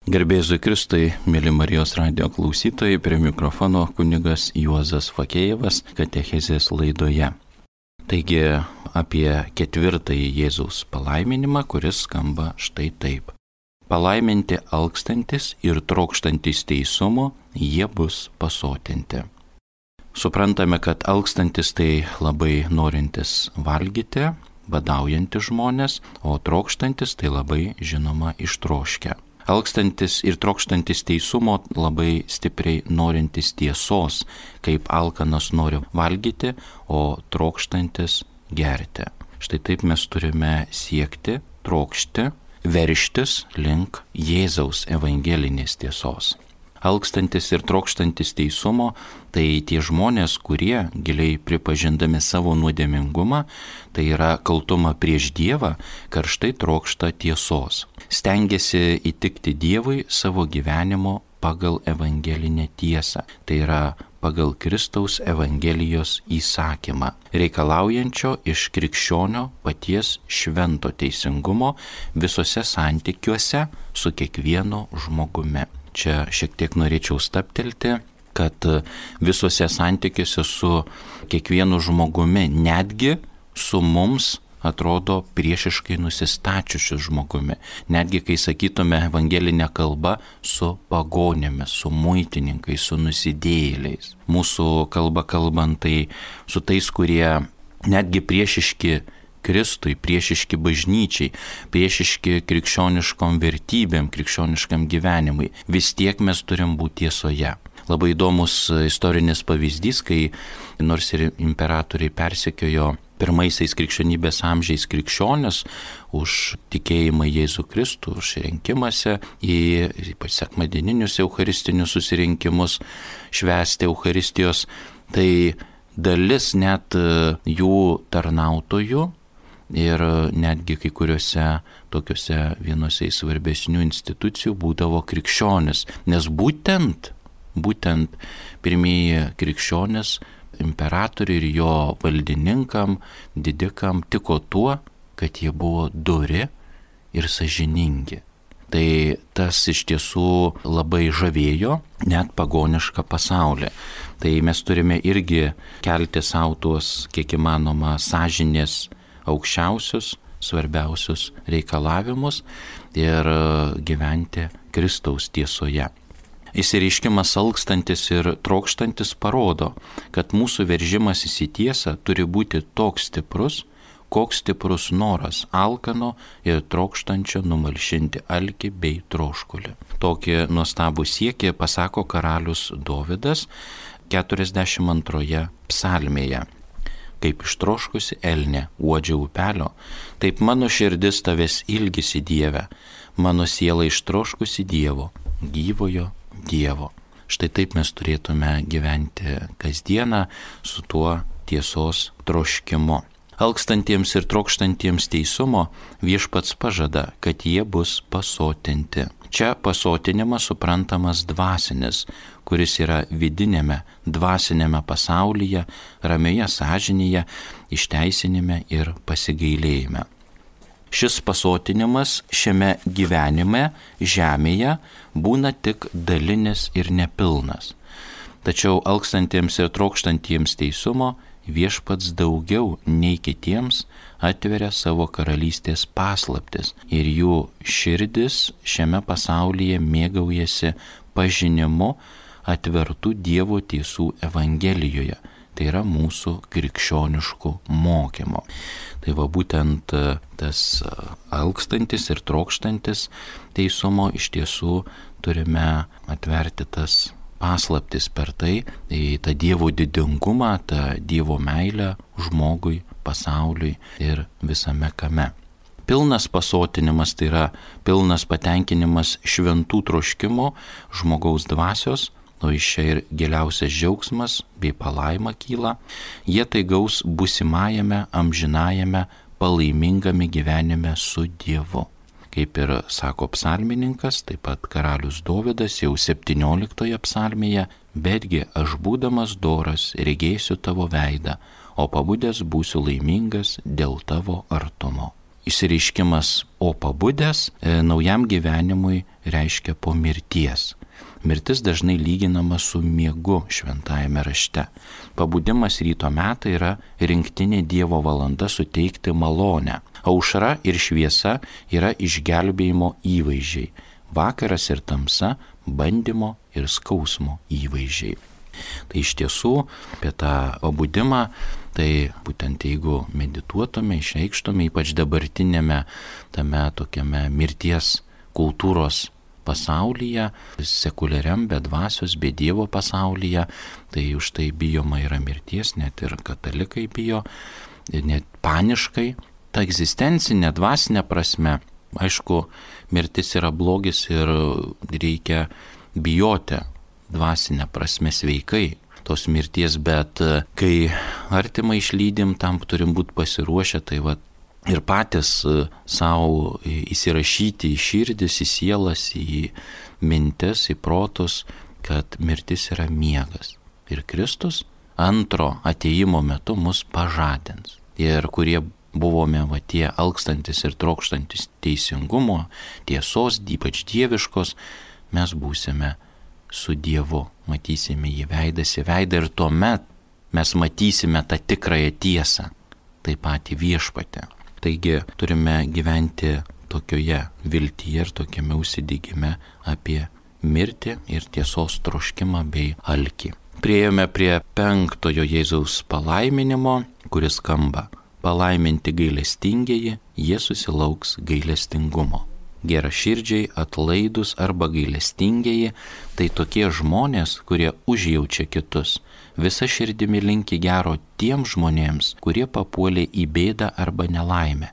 Garbėzui Kristui, mėly Marijos radijo klausytojai, prie mikrofono kunigas Juozas Fakėjevas katechezės laidoje. Taigi apie ketvirtąjį Jėzaus palaiminimą, kuris skamba štai taip. Palaiminti alkstantis ir trokštantis teisumo, jie bus pasotinti. Suprantame, kad alkstantis tai labai norintis valgyti, badaujantis žmonės, o trokštantis tai labai žinoma ištroškę. Alkstantis ir trokštantis teisumo labai stipriai norintis tiesos, kaip alkanas nori valgyti, o trokštantis gerti. Štai taip mes turime siekti, trokšti, veržtis link Jėzaus evangelinės tiesos. Alkstantis ir trokštantis teisumo, tai tie žmonės, kurie giliai pripažindami savo nuodėmingumą, tai yra kaltumą prieš Dievą, karštai trokšta tiesos. Stengiasi įtikti Dievui savo gyvenimo pagal evangelinę tiesą, tai yra pagal Kristaus evangelijos įsakymą, reikalaujančio iš krikščionio paties švento teisingumo visose santykiuose su kiekvienu žmogumi. Čia šiek tiek norėčiau stabtelti, kad visuose santykiuose su kiekvienu žmogumi, netgi su mums atrodo priešiškai nusistačiusiu žmogumi. Netgi kai sakytume evangelinę kalbą su pagonėmis, su muitininkais, su nusidėjėliais. Mūsų kalba kalbant tai su tais, kurie netgi priešiški Kristui, priešiški bažnyčiai, priešiški krikščioniškom vertybėm, krikščioniškam gyvenimui. Vis tiek mes turim būti tiesoje. Labai įdomus istorinis pavyzdys, kai nors ir imperatoriai persekiojo pirmaisiais krikščionybės amžiais krikščionis už tikėjimą Jėzų Kristų, už rinkimąsi į ypač sekmadieninius eucharistinius susirinkimus švęsti Eucharistijos, tai dalis net jų tarnautojų ir netgi kai kuriuose tokiuose vienose svarbesnių institucijų būdavo krikščionis, nes būtent pirmieji krikščionis imperatoriui ir jo valdininkam, didikam tiko tuo, kad jie buvo dori ir sąžiningi. Tai tas iš tiesų labai žavėjo net pagonišką pasaulį. Tai mes turime irgi kelti savo tuos kiek įmanoma sąžinės aukščiausius, svarbiausius reikalavimus ir gyventi Kristaus tiesoje. Išsireiškimas alkstantis ir trokštantis parodo, kad mūsų veržimas į tiesą turi būti toks stiprus, koks stiprus noras alkano ir trokštančio numalšinti alkį bei troškulį. Tokį nuostabų siekį pasako karalius Dovydas 42 psalmėje. Kaip ištroškusi elnė uodžia upelio, taip mano širdis tavęs ilgisi Dieve, mano siela ištroškusi Dievo, gyvojo Dievo. Štai taip mes turėtume gyventi kasdieną su tuo tiesos troškimu. Alkstantiems ir trokštantiems teisumo viešpats pažada, kad jie bus pasotinti. Čia pasotinimas suprantamas dvasinis, kuris yra vidinėme, dvasinėme pasaulyje, ramioje sąžinėje, išteisinime ir pasigailėjime. Šis pasotinimas šiame gyvenime, žemėje, būna tik dalinis ir nepilnas. Tačiau alkstantiems ir trokštantiems teisumo viešpats daugiau nei kitiems atveria savo karalystės paslaptis ir jų širdis šiame pasaulyje mėgaujasi pažinimu atvertų Dievo tiesų evangelijoje. Tai yra mūsų krikščioniškų mokymo. Tai va būtent tas alkstantis ir trokštantis teisumo iš tiesų turime atverti tas paslaptis per tai, tą Dievo didingumą, tą Dievo meilę žmogui, pasauliui ir visame kame. Pilnas pasotinimas tai yra pilnas patenkinimas šventų troškimo žmogaus dvasios, o iš čia ir giliausias džiaugsmas bei palaima kyla, jie tai gaus būsimajame, amžinajame, palaimingame gyvenime su Dievu. Kaip ir sako psalmininkas, taip pat karalius Dovydas jau 17 psalmėje, betgi aš būdamas doras regėsiu tavo veidą, o pabudęs būsiu laimingas dėl tavo artumo. Išsireiškimas o pabudęs naujam gyvenimui reiškia po mirties. Mirtis dažnai lyginama su miegu šventajame rašte. Pabudimas ryto metai yra rinktinė Dievo valanda suteikti malonę. Aušra ir šviesa yra išgelbėjimo įvaizdžiai. Vakaras ir tamsa bandymo ir skausmo įvaizdžiai. Tai iš tiesų apie tą pabudimą, tai būtent jeigu medituotume, išreikštume, ypač dabartinėme tame tokiame mirties kultūros pasaulyje, sekuliariam, be dvasios, be Dievo pasaulyje, tai už tai bijoma yra mirties, net ir katalikai bijo, net paniškai. Ta egzistencinė, dvasinė prasme, aišku, mirtis yra blogis ir reikia bijoti dvasinę prasme sveikai tos mirties, bet kai artimą išlydim, tam turim būti pasiruošę, tai va ir patys savo įsirašyti į širdis, į sielas, į mintis, į protus, kad mirtis yra miegas. Ir Kristus antro atėjimo metu mus pažadins. Ir kurie buvome va tie alkstantis ir trokštantis teisingumo, tiesos, ypač dieviškos, mes būsime su Dievu, matysime jį veidas į veidą ir tuomet mes matysime tą tikrąją tiesą, taip pat į viešpatį. Taigi turime gyventi tokioje viltyje ir tokiame užsidegime apie mirtį ir tiesos troškimą bei alkį. Priėjome prie 5 Jėzaus palaiminimo, kuris skamba: palaiminti gailestingieji, jie susilauks gailestingumo. Geraširdžiai, atlaidus arba gailestingieji – tai tokie žmonės, kurie užjaučia kitus. Visa širdimi linki gero tiems žmonėms, kurie papuolė į bėdą arba nelaimę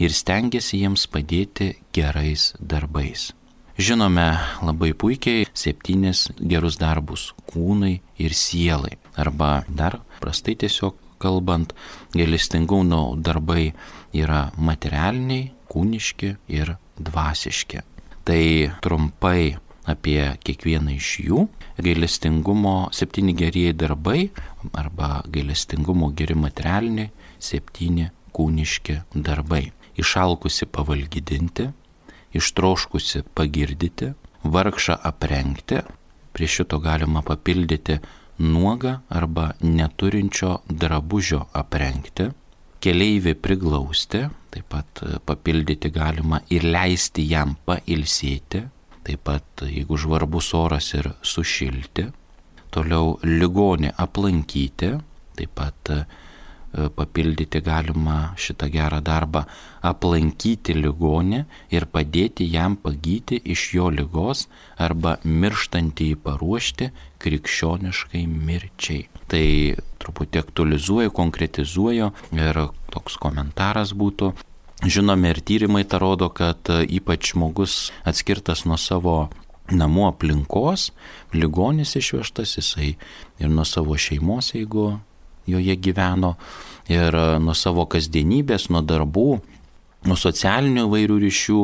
ir stengiasi jiems padėti gerais darbais. Žinome labai puikiai 7 gerus darbus kūnui ir sielai. Arba dar prastai tiesiog kalbant, gailestingumo darbai yra materialiniai, kūniški ir dvasiški. Tai trumpai apie kiekvieną iš jų. Gailestingumo 7 gerieji darbai arba gailestingumo geri materialiniai 7 kūniški darbai. Išalkusi pavalgydinti, ištroškusi pagirdyti, vargšą aprengti, prie šito galima papildyti nuogą arba neturinčio drabužio aprengti, keleivį priglausti, taip pat papildyti galima ir leisti jam pailsėti, taip pat jeigu žvarbus oras ir sušilti, toliau ligonį aplankyti, taip pat papildyti galima šitą gerą darbą, aplankyti ligonį ir padėti jam pagyti iš jo ligos arba mirštantįjį paruošti krikščioniškai mirčiai. Tai truputį aktualizuoju, konkretizuoju ir toks komentaras būtų. Žinome ir tyrimai tą rodo, kad ypač žmogus atskirtas nuo savo namų aplinkos, ligonis išvežtas, jisai ir nuo savo šeimos, jeigu joje gyveno, ir nuo savo kasdienybės, nuo darbų, nuo socialinių įvairių ryšių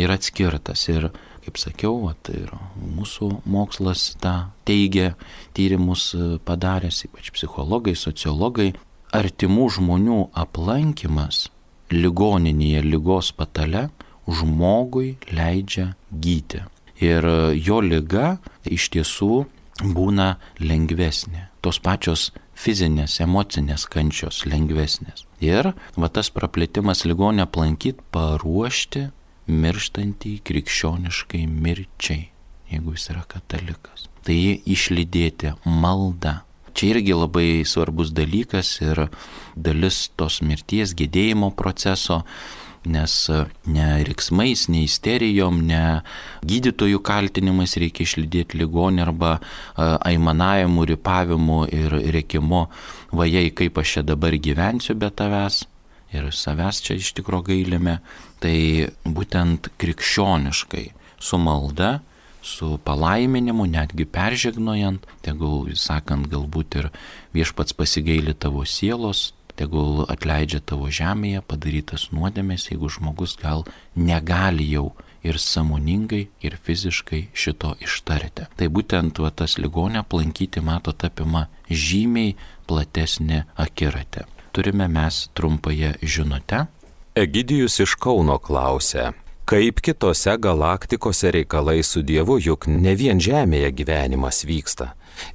yra atskirtas. Ir, kaip sakiau, ir mūsų mokslas tą teigia, tyrimus padaręs, ypač psichologai, sociologai, artimų žmonių aplankymas ligoninėje, ligos patale žmogui leidžia gyti. Ir jo liga iš tiesų būna lengvesnė. Tos pačios fizinės, emocinės kančios lengvesnės. Ir va tas praplėtimas ligonį aplankyti, paruošti mirštantį krikščioniškai mirčiai, jeigu jis yra katalikas. Tai jį išlydėti malda. Čia irgi labai svarbus dalykas ir dalis tos mirties gedėjimo proceso, nes ne riksmais, ne isterijom, ne gydytojų kaltinimais reikia išlydėti ligonį arba aimanavimu, ripavimu ir rėkimu, vajai, kaip aš čia dabar gyvensiu be tavęs ir savęs čia iš tikro gailime. Tai būtent krikščioniškai, su malda, su palaiminimu, netgi peržegnojant, tegul, sakant, galbūt ir viešpats pasigaili tavo sielos, tegul atleidžia tavo žemėje padarytas nuodėmės, jeigu žmogus gal negali jau ir sąmoningai, ir fiziškai šito ištarti. Tai būtent tas ligonę aplankyti, matot, apima žymiai platesnį akiratį. Turime mes trumpąją žinutę. Egidijus iš Kauno klausia: Kaip kitose galaktikose reikalai su Dievu, juk ne vien Žemėje gyvenimas vyksta.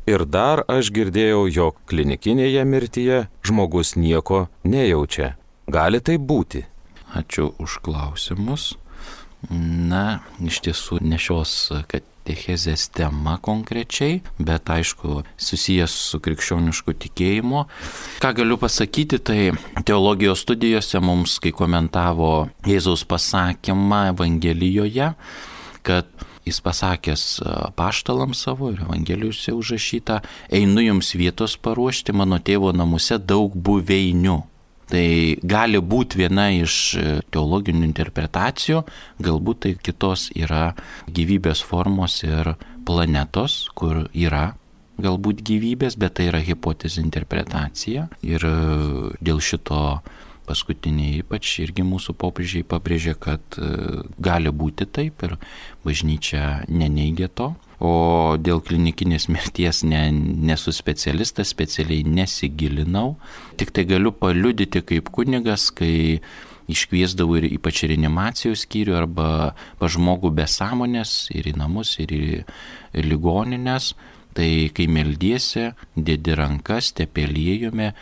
Ir dar aš girdėjau, jog klinikinėje mirtyje žmogus nieko nejaučia. Gali tai būti? Ačiū už klausimus. Na, iš tiesų ne šios katechezės tema konkrečiai, bet aišku susijęs su krikščionišku tikėjimu. Ką galiu pasakyti, tai teologijos studijose mums, kai komentavo Jėzaus pasakymą Evangelijoje, kad jis pasakęs apaštalams savo ir Evangelijose užrašyta, einu jums vietos paruošti, mano tėvo namuose daug buveinių. Tai gali būti viena iš teologinių interpretacijų, galbūt tai kitos yra gyvybės formos ir planetos, kur yra galbūt gyvybės, bet tai yra hipotezė interpretacija. Ir dėl šito paskutiniai ypač irgi mūsų popiežiai pabrėžė, kad gali būti taip ir bažnyčia neneigia to. O dėl klinikinės mirties nesu specialistas, specialiai nesigilinau. Tik tai galiu paliudyti kaip kunigas, kai iškviesdavau ir ypač reanimacijos skyrių arba pas žmogų be sąmonės ir į namus, ir į ligoninės. Tai kai meldiesi, dėdi rankas, tepėliejome,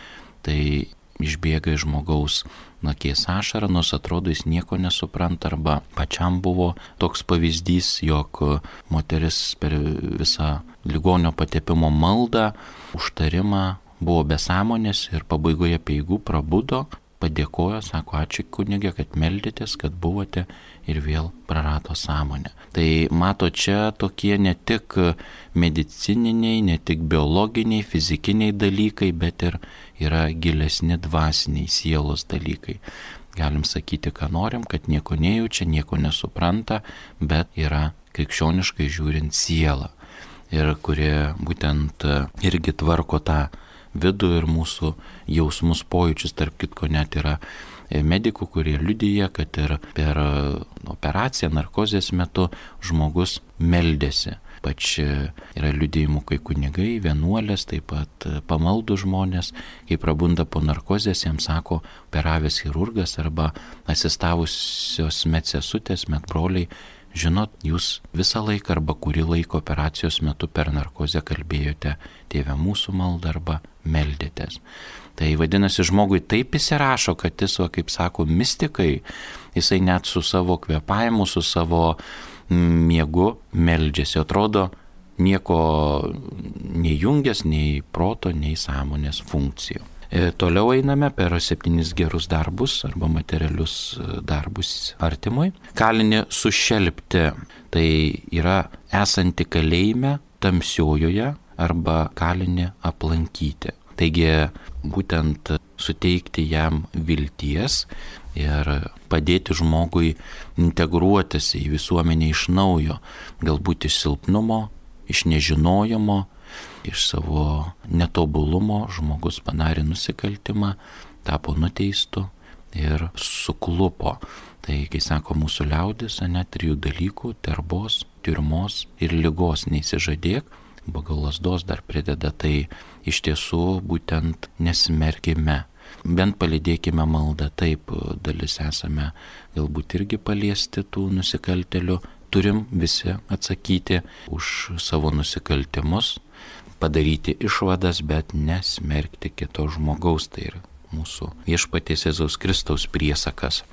tai išbėga iš žmogaus nakės ašara, nors atrodo jis nieko nesupranta, arba pačiam buvo toks pavyzdys, jog moteris per visą ligonio patepimo maldą, užtarimą buvo be sąmonės ir pabaigoje peigų prabudo, padėkojo, sako, ačiū kunige, kad meldėtės, kad buvote ir vėl prarado sąmonę. Tai mato čia tokie ne tik medicininiai, ne tik biologiniai, fizikiniai dalykai, bet ir yra gilesni dvasiniai sielos dalykai. Galim sakyti, ką norim, kad nieko nejaučia, nieko nesupranta, bet yra krikščioniškai žiūrint siela. Ir kurie būtent irgi tvarko tą vidų ir mūsų jausmus, pojūčius, tarp kitko net yra medikų, kurie liudija, kad ir per operaciją narkozės metu žmogus meldėsi. Pač yra liudijimų, kai kunigai, vienuolės, taip pat pamaldų žmonės, kai prabunda po narkozės, jiems sako operavęs chirurgas arba asistavusios medsesutės, medbroliai, žinot, jūs visą laiką arba kurį laiką operacijos metu per narkozę kalbėjote Tėve mūsų maldą arba meldėtės. Tai vadinasi, žmogui taip įsirašo, kad jis, kaip sako mistikai, jisai net su savo kvėpavimu, su savo miegu meldžiasi. Atrodo, nieko nejungęs, nei proto, nei sąmonės funkcijų. Toliau einame per 7 gerus darbus arba materialius darbus artimui. Kalinį sušelpti, tai yra esanti kalėjime tamsiojoje arba kalinį aplankyti. Taigi būtent suteikti jam vilties ir padėti žmogui integruotis į visuomenę iš naujo, galbūt iš silpnumo, iš nežinojimo, iš savo netobulumo žmogus padarė nusikaltimą, tapo nuteistu ir suklupo. Tai, kai sako mūsų liaudis, net 3 dalykų - terbos, tiurmos ir ligos neįsižadėk, pagal lasdos dar prideda, tai iš tiesų būtent nesimerkime, bent palydėkime maldą, taip dalis esame galbūt irgi paliesti tų nusikaltelių, turim visi atsakyti už savo nusikaltimus, padaryti išvadas, bet nesmerkti kito žmogaus, tai yra mūsų viešpaties Jėzaus Kristaus priesakas.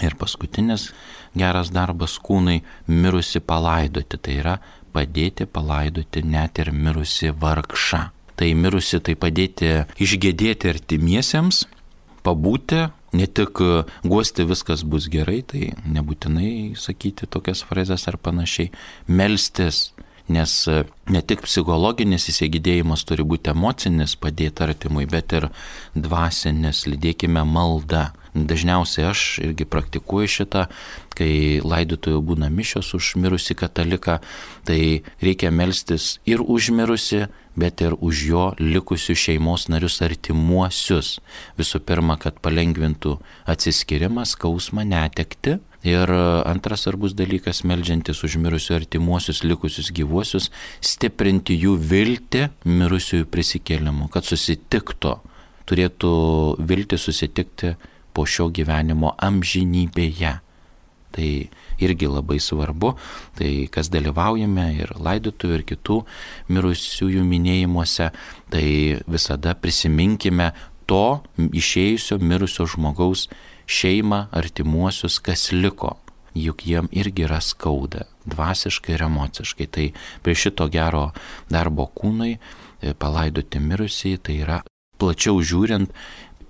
Ir paskutinis geras darbas - kūnai mirusi palaidoti, tai yra padėti palaidoti net ir mirusi vargšą. Tai mirusi tai padėti išgėdėti artimiesiems, pabūti, ne tik guosti viskas bus gerai, tai nebūtinai sakyti tokias frazes ar panašiai, melstis, nes ne tik psichologinis įsigydėjimas turi būti emocinis padėti artimui, bet ir dvasinis, lydėkime maldą. Dažniausiai aš irgi praktikuoju šitą, kai laidotuvių būna mišios už mirusį kataliką, tai reikia melstis ir už mirusį, bet ir už jo likusius šeimos narius artimuosius. Visų pirma, kad palengvintų atsiskyrimą, skausmą, netekti. Ir antras svarbus dalykas, meldžiantis už mirusių artimuosius likusius gyvuosius, stiprinti jų viltį mirusiųjų prisikėlimu, kad susitiktų, turėtų viltį susitikti po šio gyvenimo amžinybėje. Tai irgi labai svarbu, tai kas dalyvaujame ir laidotuvių, ir kitų mirusiųjų minėjimuose, tai visada prisiminkime to išėjusio mirusio žmogaus šeimą, artimuosius, kas liko. Juk jiem irgi yra skauda, dvasiškai ir emociškai. Tai prie šito gero darbo kūnui palaidoti mirusiai, tai yra plačiau žiūrint,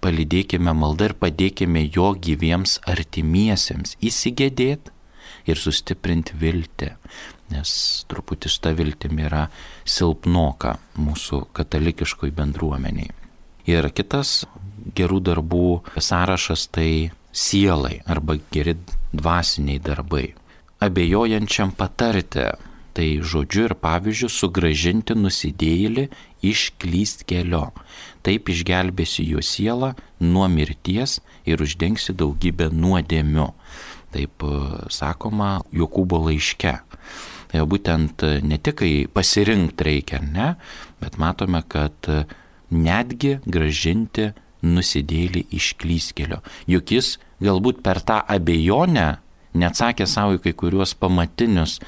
palydėkime maldą ir padėkime jo gyviems artimiesiems įsigėdėti ir sustiprinti viltį, nes truputį su ta viltimi yra silpnoka mūsų katalikiškoj bendruomeniai. Ir kitas gerų darbų sąrašas tai sielai arba geri dvasiniai darbai. Abejojančiam patarti, tai žodžiu ir pavyzdžiu sugrąžinti nusidėjėlį iš klystkelio. Taip išgelbėsi jo sielą nuo mirties ir uždengsi daugybę nuodėmių. Taip sakoma Jokūbo laiške. Tai būtent ne tik pasirinkti reikia, ne, bet matome, kad netgi grąžinti nusidėjėlį iš klystkelio. Juk jis galbūt per tą abejonę neatsakė savo į kai kuriuos pamatinius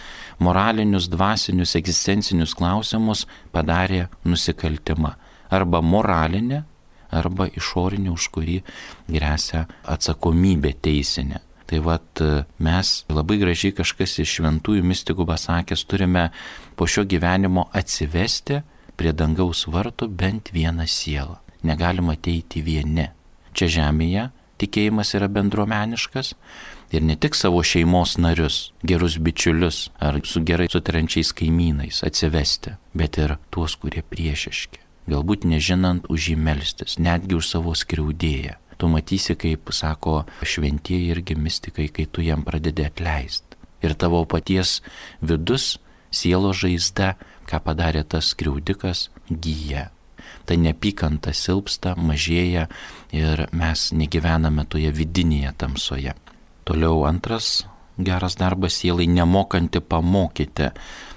moralinius, dvasinius, egzistencinius klausimus, padarė nusikaltimą. Arba moralinė, arba išorinė, už kurį gresia atsakomybė teisinė. Tai vat mes labai gražiai kažkas iš šventųjų mistikų pasakęs turime po šio gyvenimo atsivesti prie dangaus vartų bent vieną sielą. Negalima ateiti vieni. Čia žemėje tikėjimas yra bendruomeniškas ir ne tik savo šeimos narius, gerus bičiulius ar su gerai sutariančiais kaimynais atsivesti, bet ir tuos, kurie priešiški. Galbūt nežinant už jį melstis, netgi už savo skriaudėją. Tu matysi, kaip sako šventieji irgi mistikai, kai tu jam pradedi atleisti. Ir tavo paties vidus, sielos žaizda, ką padarė tas skriaudikas, gyja. Ta neapykanta silpsta, mažėja ir mes negyvename toje vidinėje tamsoje. Toliau antras geras darbas sielai nemokanti pamokyti.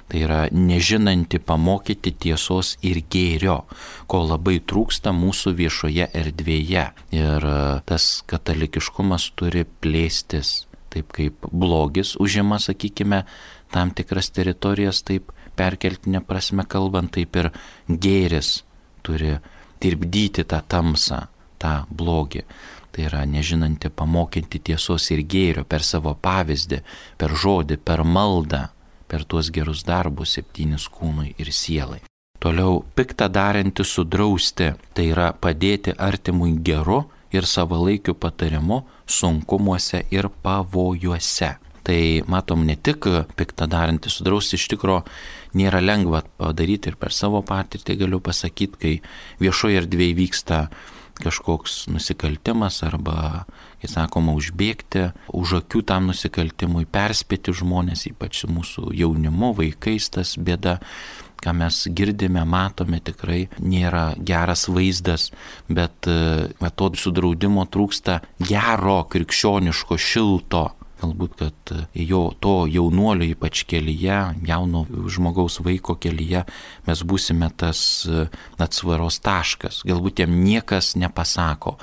Tai yra nežinanti pamokyti tiesos ir gėrio, ko labai trūksta mūsų viešoje erdvėje. Ir tas katalikiškumas turi plėstis, taip kaip blogis užima, sakykime, tam tikras teritorijas, taip perkeltinė prasme kalbant, taip ir gėris turi tirpdyti tą tamsą, tą blogį. Tai yra nežinanti pamokyti tiesos ir gėrio per savo pavyzdį, per žodį, per maldą, per tuos gerus darbus 7 kūnui ir sielai. Toliau piktą darantį sudrausti, tai yra padėti artimui geru ir savalaikiu patarimu sunkumuose ir pavojuose. Tai matom ne tik piktą darantį sudrausti, iš tikro nėra lengva padaryti ir per savo patirtį galiu pasakyti, kai viešoje erdvėje vyksta kažkoks nusikaltimas arba, kaip sakoma, užbėgti už akių tam nusikaltimui, perspėti žmonės, ypač mūsų jaunimu, vaikais, tas bėda, ką mes girdime, matome, tikrai nėra geras vaizdas, bet to sudraudimo trūksta gero, krikščioniško, šilto. Galbūt, kad to jaunuolio ypač kelyje, jauno žmogaus vaiko kelyje mes būsime tas atsvaros taškas. Galbūt jam niekas nepasako,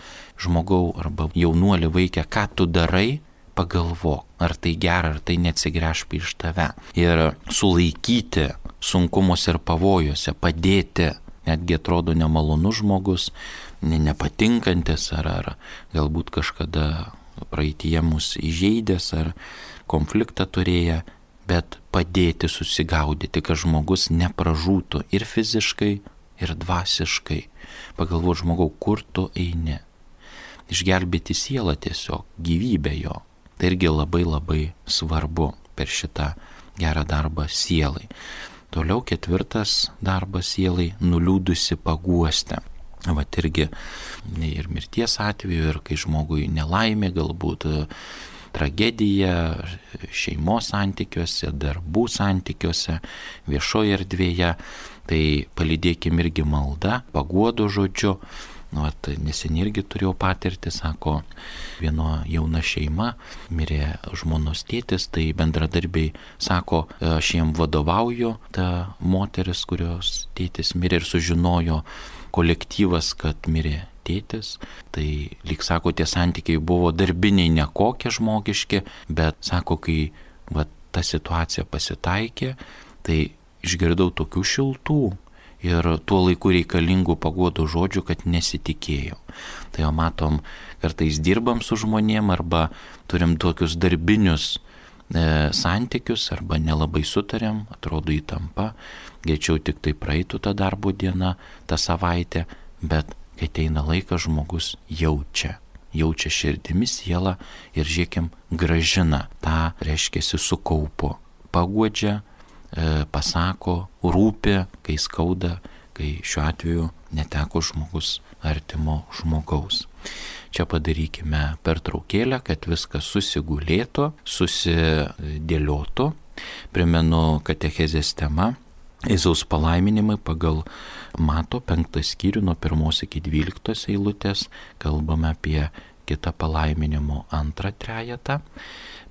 žmogau arba jaunuolį vaikę, ką tu darai, pagalvok, ar tai gera, ar tai neatsigręš prieš tave. Ir sulaikyti sunkumus ir pavojuose, padėti, netgi atrodo nemalonus žmogus, nepatinkantis ar galbūt kažkada praeitie mus įžeidęs ar konfliktą turėję, bet padėti susigaudyti, kad žmogus nepražūtų ir fiziškai, ir dvasiškai. Pagalvoti, žmogau, kur tu eini. Išgelbėti sielą tiesiog, gyvybę jo. Tai irgi labai labai svarbu per šitą gerą darbą sielai. Toliau 4 darbas sielai - nuliūdusi paguosti. Vat irgi ir mirties atveju, ir kai žmogui nelaimė, galbūt tragedija šeimos santykiuose, darbų santykiuose, viešoje erdvėje, tai palydėkim irgi maldą, paguodo žodžiu. Vat neseniai irgi turėjau patirtį, sako, viena jauna šeima, mirė žmonos tėtis, tai bendradarbiai sako, aš jiem vadovauju, ta moteris, kurios tėtis mirė, ir sužinojo kolektyvas, kad mirė tėtis. Tai, lyg sako, tie santykiai buvo darbiniai, nekokie žmogiški, bet sako, kai ta situacija pasitaikė, tai išgirdau tokių šiltų ir tuo laiku reikalingų paguodų žodžių, kad nesitikėjau. Tai jau matom, kartais dirbam su žmonėm arba turim tokius darbinius santykius arba nelabai sutariam, atrodo įtampa, greičiau tik tai praeitų ta darbo diena, ta savaitė, bet kai ateina laikas, žmogus jaučia širdimi, sielą ir žiūrėkim, gražina tą, reiškiasi, sukaupo, paguodžia, pasako, rūpi, kai skauda, kai šiuo atveju neteko žmogus artimo žmogaus. Čia padarykime pertraukėlę, kad viskas susigulėtų, susidėliotų. Primenu katechezės tema Jėzaus palaiminimai pagal Mato 5 skyrių nuo 1 iki 12 eilutės. Kalbame apie kitą palaiminimo antrą trejetą.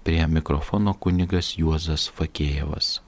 Prie mikrofono kunigas Juozas Fakėjevas.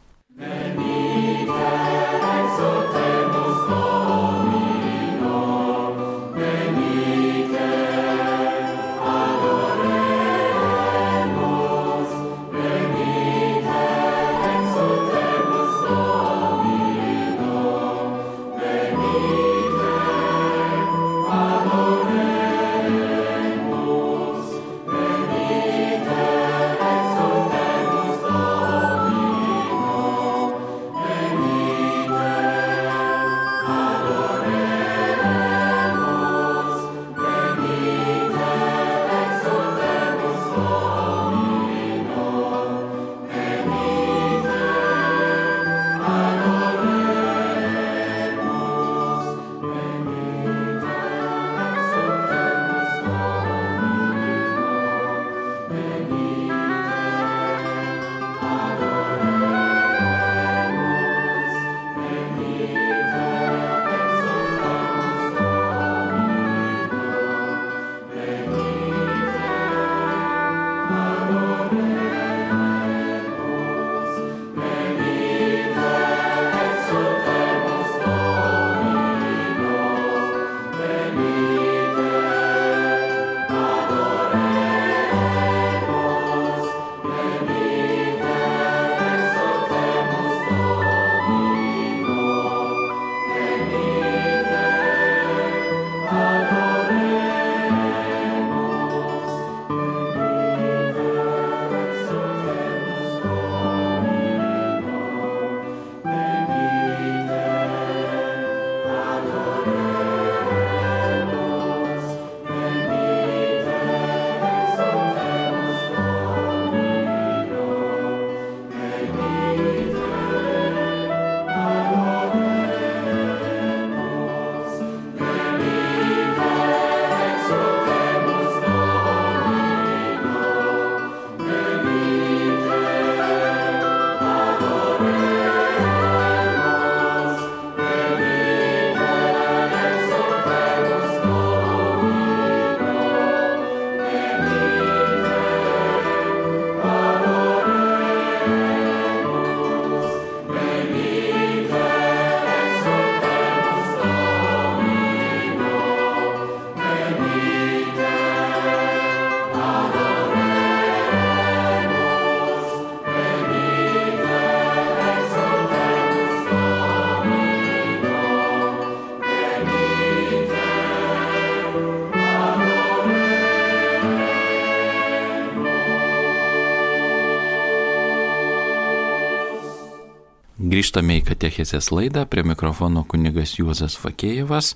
Grįžtame į katechezės laidą, prie mikrofono kunigas Juozas Fakėjevas.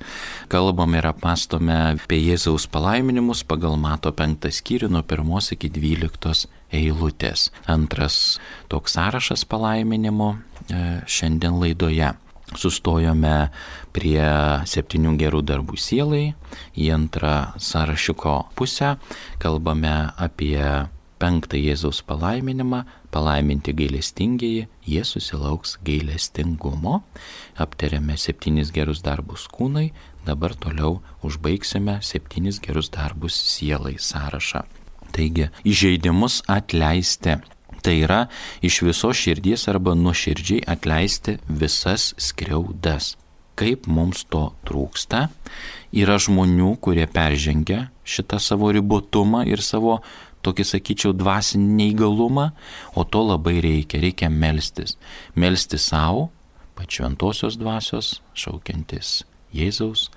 Kalbame ir apmąstome apie Jėzaus palaiminimus pagal Mato 5 skyrių nuo 1 iki 12 eilutės. Antras toks sąrašas palaiminimų šiandien laidoje. Sustojome prie 7 gerų darbų sielai, į antrą sąrašiuko pusę kalbame apie 5 Jėzaus palaiminimą, palaiminti gailestingieji, jie susilauks gailestingumo. Aptarėme 7 gerus darbus kūnai, dabar toliau užbaigsime 7 gerus darbus sielai sąrašą. Taigi, įžeidimus atleisti. Tai yra iš visos širdies arba nuoširdžiai atleisti visas skriaudas. kaip mums to trūksta. Yra žmonių, kurie peržengia šitą savo ribotumą ir savo tokį, sakyčiau, dvasinį neįgalumą, o to labai reikia. Reikia melstis. Melstis savo, pašventosios dvasios, šaukiantis Jėzaus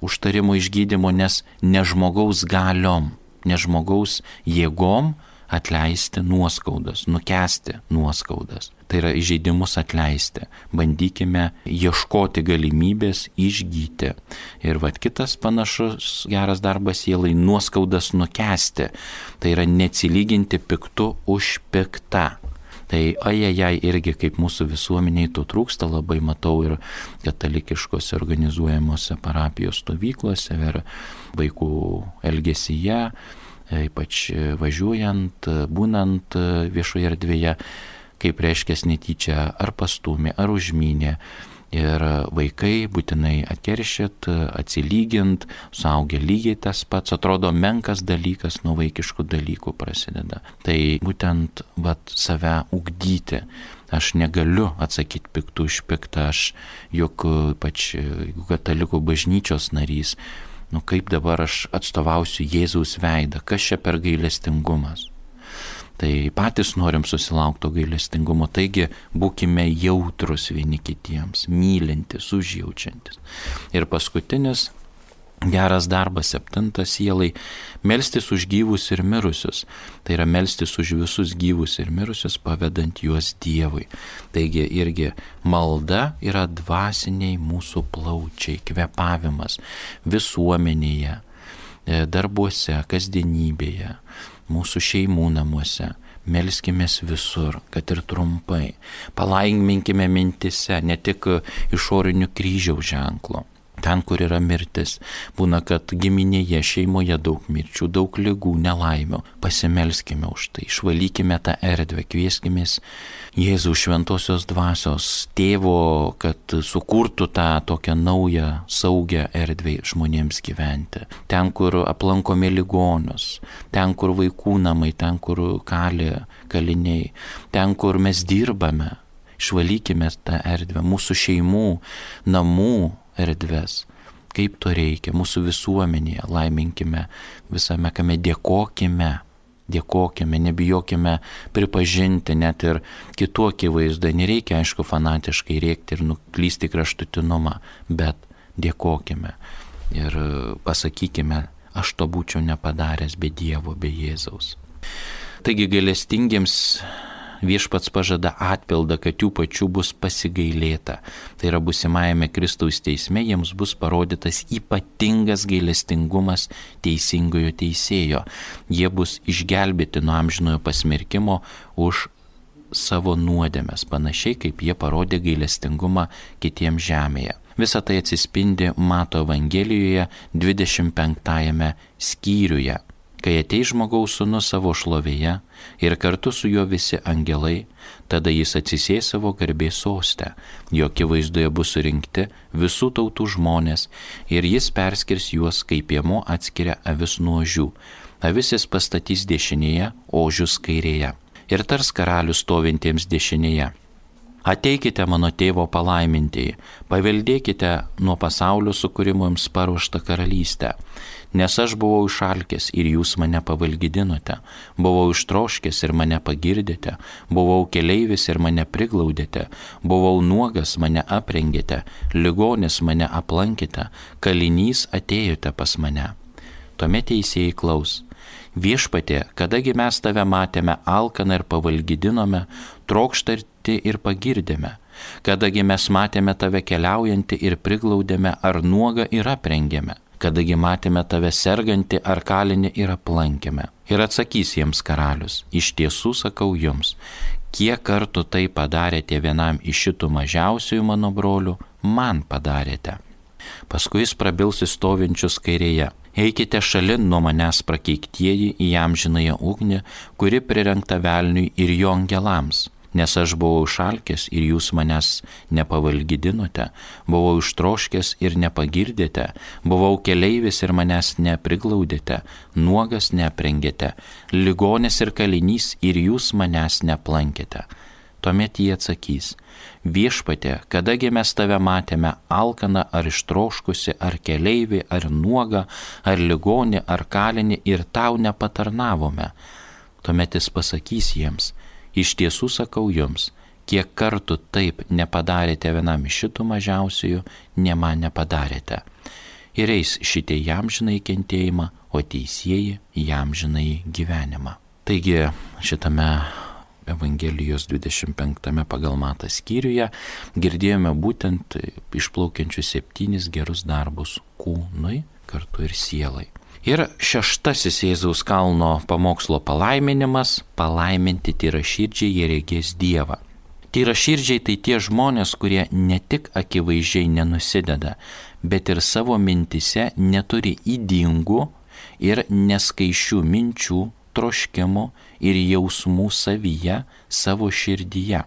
užtarimo išgydymo, nes ne žmogaus galiom, ne žmogaus jėgom atleisti nuoskaudas, nukęsti nuoskaudas. Tai yra įžeidimus atleisti. Bandykime ieškoti galimybės išgyti. Ir kitas panašus geras darbas sielai - nuoskaudas nukęsti. Tai yra neatsilyginti piktu už piktą. Tai ajajai irgi kaip mūsų visuomeniai to trūksta, labai matau ir katalikiškose organizuojamuose parapijos stovyklose ir vaikų elgesyje, ypač važiuojant, būnant viešoje erdvėje, kaip reiškės netyčia ar pastumė, ar užmynė. Ir vaikai būtinai atkeršyt, atsilygint, suaugę lygiai tas pats, atrodo menkas dalykas, nuo vaikiškų dalykų prasideda. Tai būtent save ugdyti. Aš negaliu atsakyti piktų už piktą, aš juk ypač katalikų bažnyčios narys, kaip dabar aš atstovausiu Jėzaus veidą, kas čia per gailestingumas. Tai patys norim susilaukti gailestingumo, taigi būkime jautrus vieni kitiems, mylintis, užjaučiantis. Ir paskutinis geras darbas, 7 sielai - melstis už gyvus ir mirusius. Tai yra melstis už visus gyvus ir mirusius, pavedant juos Dievui. Taigi irgi malda yra dvasiniai mūsų plaučiai, kvėpavimas visuomenėje, darbuose, kasdienybėje, mūsų šeimų namuose. Melskimės visur, kad ir trumpai. Palaiminkime mintise, ne tik išorinių kryžiaus ženklo. Ten, kur yra mirtis, būna, kad giminėje, šeimoje daug mirčių, daug ligų, nelaimių. Pasimelskime už tai, išvalykime tą erdvę, kvieskimės Jėzaus šventosios dvasios tėvo, kad sukurtų tą tokią naują, saugią erdvę žmonėms gyventi. Ten, kur aplankome ligonius, ten, kur vaikų namai, ten, kur kaliniai, ten, kur mes dirbame, išvalykime tą erdvę, mūsų šeimų, namų erdves, kaip to reikia, mūsų visuomenėje, laiminkime visame, kame dėkokime, nebijokime pripažinti net ir kitų akivaizdai, nereikia, aišku, fanatiškai rėkti ir nuklysti kraštutinumą, bet dėkokime ir pasakykime, aš to būčiau nepadaręs be Dievo, be Jėzaus. Taigi gailestingiems Viešpats pažada atpildą, kad jų pačių bus pasigailėta. Tai yra būsimajame Kristaus teisme jiems bus parodytas ypatingas gailestingumas teisingojo teisėjo. Jie bus išgelbėti nuo amžinojo pasmerkimo už savo nuodėmes, panašiai kaip jie parodė gailestingumą kitiems žemėje. Visa tai atsispindi Mato Evangelijoje 25 skyriuje. Kai ateis žmogaus sūnus savo šlovėje ir kartu su juo visi angelai, tada jis atsisės savo garbės soste, jo akivaizdoje bus surinkti visų tautų žmonės ir jis perskirs juos, kaip piemuo atskiria avis nuo ožių. Avis jis pastatys dešinėje, ožius kairėje. Ir tars karalius stovintiems dešinėje: ateikite mano tėvo palaimintieji, paveldėkite nuo pasaulio sukūrimo jums paruoštą karalystę. Nes aš buvau išalkęs ir jūs mane pavalgydinote, buvau ištroškęs ir mane pagirdėte, buvau keleivis ir mane priglaudėte, buvau nuogas, mane aprengėte, ligonis mane aplankėte, kalinys atėjote pas mane. Tuomet teisėjai klaus: viešpatie, kadagi mes tave matėme alkaną ir pavalgydinome, trokštarti ir pagirdėme, kadagi mes matėme tave keliaujantį ir priglaudėme, ar nuogą ir aprengėme, kadagi matėme tave sergantį ar kalinį ir aplankėme. Ir atsakys jiems karalius: iš tiesų sakau jums, kiek kartų tai padarėte vienam iš šitų mažiausiųjų mano brolių, man padarėte. Paskui jis prabils į stovinčius kairėje: eikite šalin nuo manęs prakeiktieji į amžinąją ugnį, kuri prirengta velniui ir jo angelams. Nes aš buvau išalkęs ir jūs manęs nepavalgydinote, buvau ištroškęs ir nepagirdėte, buvau keleivis ir manęs nepriglaudėte, nuogas neaprengėte, ligonis ir kalinys ir jūs manęs neaplankėte. Tuomet jie atsakys: Viešpatie, kadagi mes tave matėme alkaną ar ištroškusi, ar keleivį, ar nuogą, ar ligonį, ar kalinį ir tau nepatarnavome. Tuomet jis pasakys jiems: Iš tiesų sakau jums, kiek kartų taip nepadarėte vienam iš šitų mažiausiųjų, ne man nepadarėte. Ir eis šitie į amžinąjį kentėjimą, o teisieji į amžinąjį gyvenimą. Taigi šitame Evangelijos 25 pagal Matą skyriuje girdėjome būtent išplaukiančius 7 gerus darbus kūnui, kartu ir sielai. Ir 6 Jėzaus kalno pamokslo palaiminimas – palaiminti tyraširdžiai, jie regės Dievą. Tyraširdžiai tai tie žmonės, kurie ne tik akivaizdžiai nenusideda, bet ir savo mintise neturi ydingų ir neskaičių minčių, troškimų ir jausmų savyje, savo širdyje.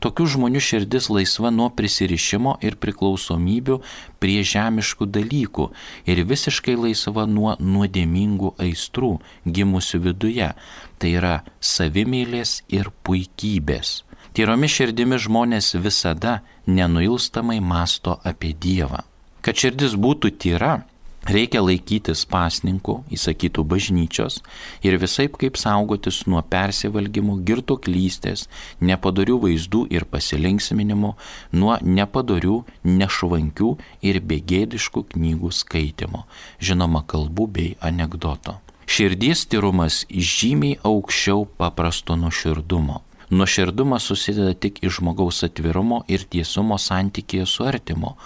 Tokių žmonių širdis laisva nuo prisirišimo ir priklausomybių prie žemiškų dalykų ir visiškai laisva nuo nuodėmingų aistrų gimusių viduje, tai yra savimeilės ir puikybės. Tyromis širdimi žmonės visada nenuilstamai mąsto apie Dievą. Kad širdis būtų tyra, reikia laikytis pasninkų, įsakytų bažnyčios ir visaip kaip saugotis nuo persivalgymų, girtuoklystės, nepadorių vaizdų ir pasilinksminimų, nuo nepadorių, nešvankių ir begėdiškų knygų skaitimo, žinoma kalbų bei anekdoto. Širdies tyrumas žymiai aukščiau paprasto nuoširdumo. Nuoširdumas susideda tik iš žmogaus atvirumo ir tiesumo santykėje su artimu,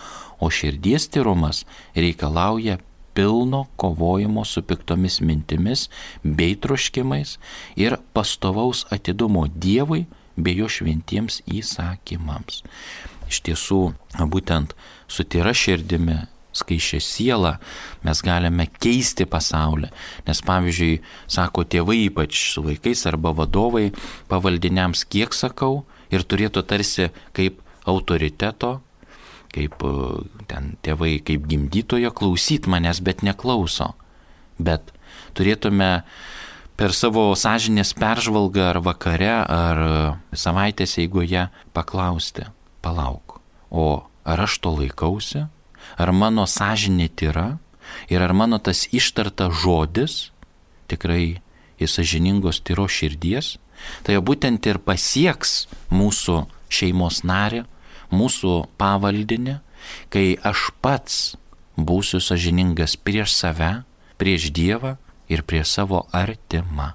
o širdies tyrumas reikalauja pilno kovojimo su piktomis mintimis bei troškimais ir pastovaus atidumo Dievui bei jo šventiems įsakymams. Iš tiesų, būtent su tyra širdimi, skaisčia siela mes galime keisti pasaulį, nes pavyzdžiui, sako tėvai ypač su vaikais arba vadovai pavaldiniams kiek sakau ir turėtų tarsi kaip autoriteto, kaip ten tėvai, kaip gimdytojo klausyt manęs, bet neklauso. Bet turėtume per savo sąžinės peržvalgą ar vakare, ar savaitės eigoje paklausti: palauk, o ar aš to laikausi? Ar mano sąžinė tyra? Ir ar mano tas ištartas žodis tikrai iš sąžiningos tyros širdies? Tai būtent ir pasieks mūsų šeimos narį, mūsų pavaldinį, kai aš pats būsiu sąžiningas prieš save, prieš Dievą ir prieš savo artimą.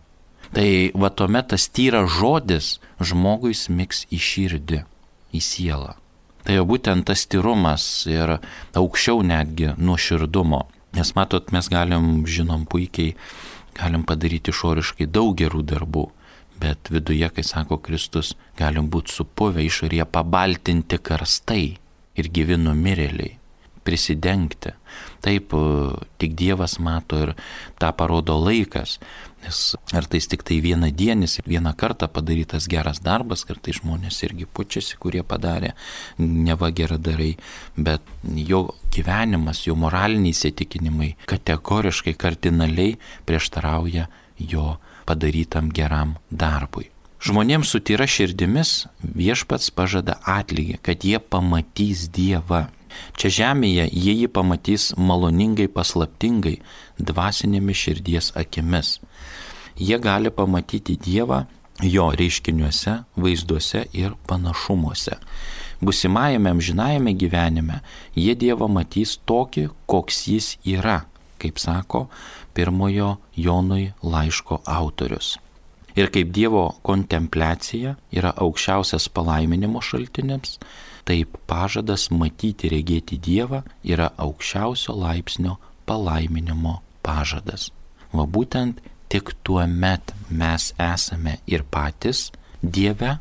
Tai va tuomet tas tyras žodis žmogui smigs į širdį, į sielą. Tai jau būtent tas tyrumas ir aukščiau netgi nuoširdumo. Nes matot, mes žinom puikiai, galim padaryti išoriškai daug gerų darbų, bet viduje, kai sako Kristus, galim būti supuvę, išorėje pabaltinti karstai ir gyvi numirėliai, prisidengti. Taip, tik Dievas mato ir tą parodo laikas, nes ar tai tik tai vienadienis ir vieną kartą padarytas geras darbas, kartai žmonės irgi pučiasi, kurie padarė neva geradarai, bet jo gyvenimas, jo moraliniai įsitikinimai kategoriškai, kardinaliai prieštarauja jo padarytam geram darbui. Žmonėms su tyra širdimis Viešpats pažada atlygį, kad jie pamatys Dievą. Čia žemėje jie jį pamatys maloningai, paslaptingai, dvasinėmis širdies akimis. Jie gali pamatyti Dievą jo reiškiniuose, vaizduose ir panašumuose. Būsimajame amžinajame gyvenime jie Dievą matys tokį, koks jis yra, kaip sako 1 Jonui laiško autorius. Ir kaip Dievo kontempliacija yra aukščiausias palaiminimo šaltinis, taip pažadas matyti, regėti Dievą yra aukščiausio laipsnio palaiminimo pažadas. Va būtent tik tuo met mes esame ir patys Dieve,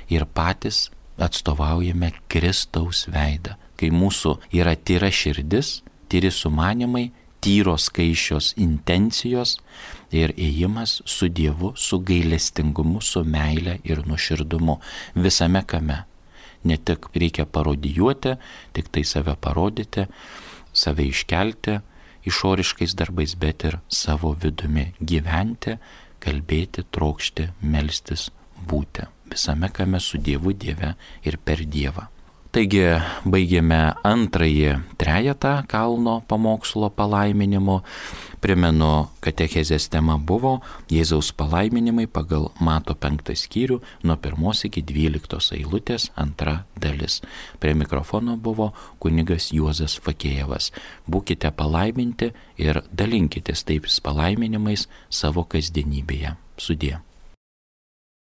ir patys atstovaujame Kristaus veidą. Kai mūsų yra tyra širdis, tyri sumanimai, tyros skaičios intencijos ir ėjimas su Dievu, su gailestingumu, su meile ir nuoširdumu visame kame. Ne tik reikia parodijuoti, tik tai save parodyti, save iškelti išoriškais darbais, bet ir savo vidumi gyventi, kalbėti, trokšti, melstis, būti. visame kame su Dievu, Dieve ir per Dievą. Taigi baigėme antrąjį trejetą kalno pamokslo palaiminimo. Primenu, katechezės tema buvo Jėzaus palaiminimai pagal Mato 5 skyrių nuo 1 iki 12 eilutės 2 dalis. Prie mikrofono buvo kunigas Juozas Fakėjevas. Būkite palaiminti ir dalinkitės taip palaiminimais savo kasdienybėje. Sudie.